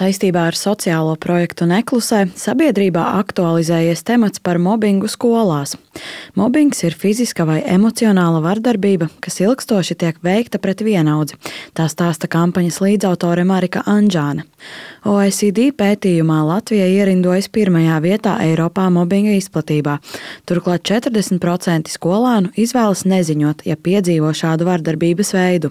Saistībā ar sociālo projektu Neklusē sabiedrībā aktualizējies temats par mobbingu skolās. Mobbings ir fiziska vai emocionāla vardarbība, kas ilgstoši tiek veikta pret vienaudzi. Tā stāsta kampaņas līdzautore Marika Anžāne. OECD pētījumā Latvija ierindojas pirmajā vietā Eiropā mobbinga izplatībā. Turklāt 40% skolānu izvēlas neziņot, ja piedzīvo šādu vardarbības veidu.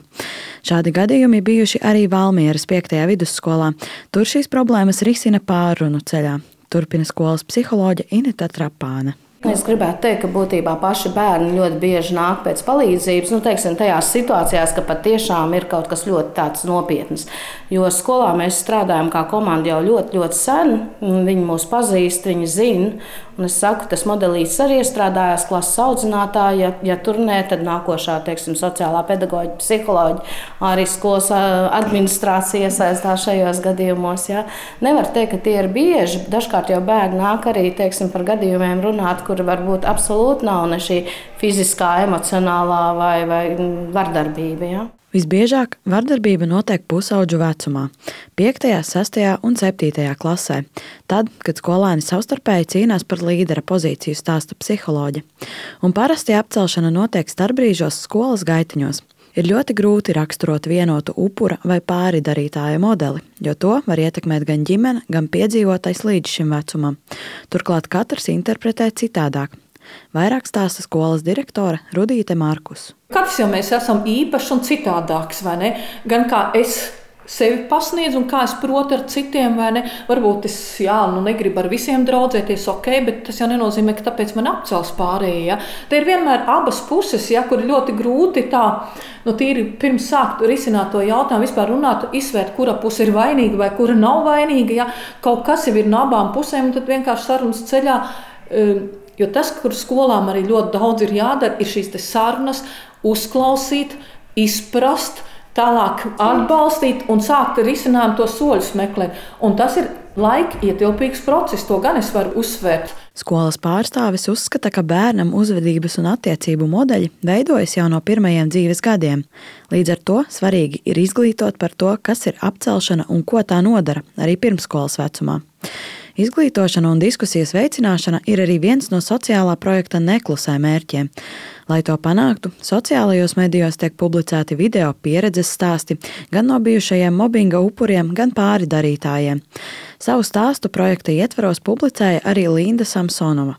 Šādi gadījumi bijuši arī Valmieras 5. vidusskolā. Tur šīs problēmas risina pārrunu ceļā. Turpina skolas psiholoģe Ineta Trapāne. Es gribētu teikt, ka būtībā paši bērni ļoti bieži nāk pēc palīdzības, teiksim, tajās situācijās, ka patiešām ir kaut kas ļoti tāds nopietns. Jo skolā mēs strādājam kā komanda jau ļoti, ļoti sen, viņi mūs pazīst, viņi zina. Un es saku, tas modelīts arī iestrādājās klases audzinātāja, ja tur nē, tad nākošā, teiksim, sociālā pedagoģa, psiholoģa, arī skolas administrācija iesaistās šajos gadījumos. Ja. Nevar teikt, ka tie ir bieži. Dažkārt jau bērni nāk arī, teiksim, par gadījumiem runāt, kur varbūt absolūti nav ne šī fiziskā, emocionālā vai vardarbība. Ja. Visbiežāk vardarbība notiek pusaudžu vecumā – 5., 6. un 7. klasē. Tad, kad skolēni savstarpēji cīnās par līdera pozīciju, stāsta psiholoģe. Un parasti apcelšana notiek starpbrīžos skolas gaitiņos. Ir ļoti grūti raksturot vienotu upura vai pāridarītāja modeli, jo to var ietekmēt gan ģimene, gan piedzīvotais līdz šim vecumam. Turklāt katrs interpretē citādāk. Vairāk stāsta skolas direktore Rudīte Markus. Katrs jau mēs esam īpašs un citādāks, vai ne? Gan kā es sevi pasniedzu un kā es protu ar citiem, vai ne? Varbūt es negribu ar visiem draudzēties, bet tas jau nenozīmē, ka tāpēc man apcels pārējie. Ja? Te ir vienmēr abas puses, ja, kur ļoti grūti tā, tīri pirms sākt risināt to jautājumu, vispār runāt, izsvērt, kura puse ir vainīga vai kura nav vainīga. Ja? Kaut kas jau ir no abām pusēm, un tad vienkārši sarunas ceļā. Jo tas, kur skolām arī ļoti daudz ir jādara, ir šīs sarunas, uzklausīt, izprast, tālāk atbalstīt un sākt risināt to soļus meklēt. Un tas ir laika ietilpīgs process, to gan es varu uzsvērt. Skolas pārstāvis uzskata, ka bērnam uzvedības un attiecību modeļi veidojas jau no pirmajiem dzīves gadiem. Līdz ar to svarīgi ir izglītot par to, kas ir apcelšana un ko tā nodara arī pirmsskolas vecumā. Izglītošana un diskusijas veicināšana ir arī viens no sociālā projekta Neklusē mērķiem. Lai to panāktu, sociālajos medijos tiek publicēti video pieredzes stāsti gan no bijušajiem mobbinga upuriem, gan pāridarītājiem. Savu stāstu projekta ietvaros publicēja arī Linda Samsonova.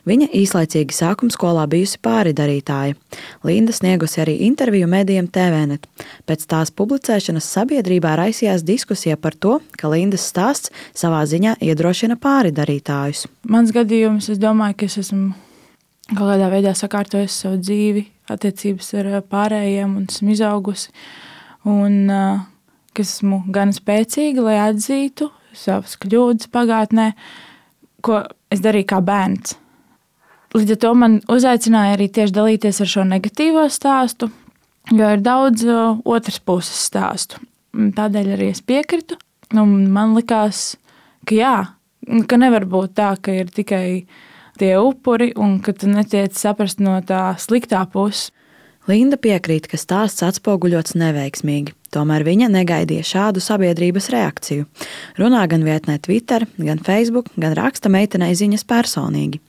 Viņa īslaicīgi sākumskolā bijusi pāridarītāja. Linda sniegusi arī interviju medijiem TVNet. Pēc tās publicēšanas sabiedrībā raisījās diskusija par to, ka Lindas stāsts savā ziņā iedrošina pāridarītājus. Mans gadījums, es domāju, ka es esmu kaut kādā veidā sakārtojis savu dzīvi, attiecības ar pārējiem un esmu izaugusi. Un ka esmu gan spēcīga, lai atzītu savas kļūdas pagātnē, ko es darīju kā bērns. Līdz ar to man uzaicināja arī tieši dalīties ar šo negatīvo stāstu, jo ir daudz otras puses stāstu. Tādēļ arī es piekritu. Un man likās, ka nevar būt tā, ka ir tikai tie upuri un ka tu netiec saprast no tā sliktā puses. Linda piekrīt, ka stāsts atspoguļots neveiksmīgi. Tomēr viņa negaidīja šādu sabiedrības reakciju. Runā gan vietnē Twitter, gan Facebook, gan raksta meitenei ziņas personīgi.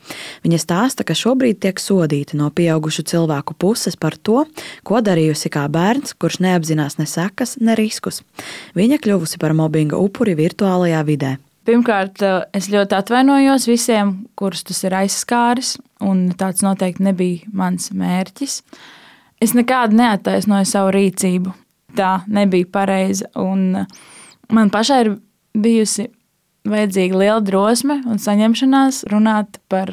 Viņa stāsta, ka šobrīd tiek sodīta no pieaugušu cilvēku puses par to, ko darījusi kā bērns, kurš neapzinās ne sekas, ne riskus. Viņa kļuvusi par mobbinga upuri virtuālajā vidē. Pirmkārt, es ļoti atvainojos visiem, kurus tas ir aizskāris, un tāds noteikti nebija mans mērķis. Es nekādu neattaisnoju savu rīcību. Tā nebija pareiza, un man pašai ir bijusi vajadzīga liela drosme un saņemšanās runāt par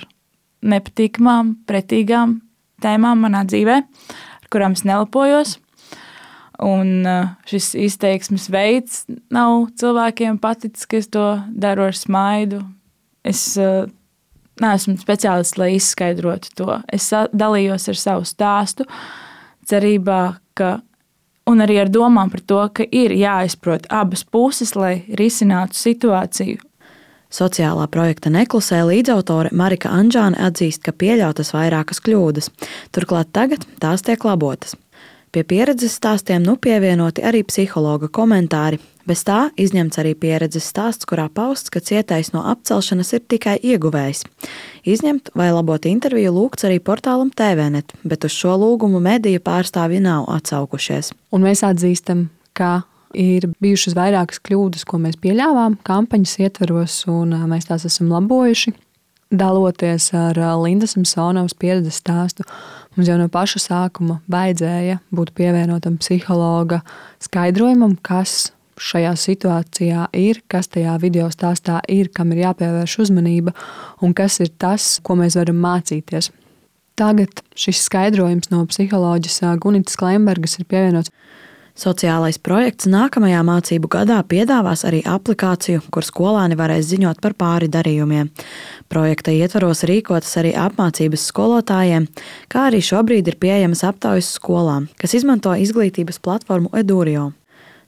nepatīkamām, pretīgām tēmām manā dzīvē, ar kurām es nelepojos. Un šis izteiksmes veids nav cilvēkiem paticis, ka es to daru ar smaidu. Es neesmu speciālists, lai izskaidrotu to. Es dalījos ar savu stāstu, cerībā, un arī ar domām par to, ka ir jāizprot abas puses, lai risinātu situāciju. Sociālā projekta Neklusē līdzautore Marika Anžāne atzīst, ka pieļautas vairākas kļūdas. Turklāt tagad tās tiek labotas. Pie pieredzes stāstiem pievienoti arī psihologa komentāri. Bez tā izņemts arī pieredzes stāsts, kurā pausts, ka cietais no apcelšanas ir tikai ieguvējs. Izņemt vai labot interviju lūgts arī portālam TVNet, bet uz šo lūgumu mediju pārstāvji nav atsaukušies. Un mēs atzīstam, ka ir bijušas vairākas kļūdas, ko mēs pieļāvām kampaņas ietvaros, un mēs tās esam labojuši. Daloties ar Lindas Samsonovas pieredzes stāstu, mums jau no paša sākuma vajadzēja būt pievienotam psihologa skaidrojumam, kas šajā situācijā ir, kas tajā video stāstā ir, kam ir jāpievērš uzmanība un kas ir tas, ko mēs varam mācīties. Tagad šis skaidrojums no psiholoģis Gunitas Klembergas ir pievienots. Sociālais projekts nākamajā mācību gadā piedāvās arī aplikāciju, kur skolāni varēs ziņot par pāri darījumiem. Projekta ietvaros rīkotas arī apmācības skolotājiem, kā arī šobrīd ir pieejamas aptaujas skolām, kas izmanto izglītības platformu Edurio.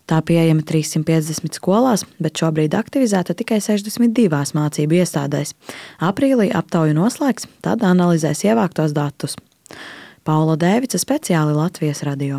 Tā pieejama 350 skolās, bet šobrīd aktivizēta tikai 62 mācību iestādēs. Aprīlī aptauju noslēgs, tad analizēs ievāktos datus. Paula Dēvica, speciāli Latvijas radio.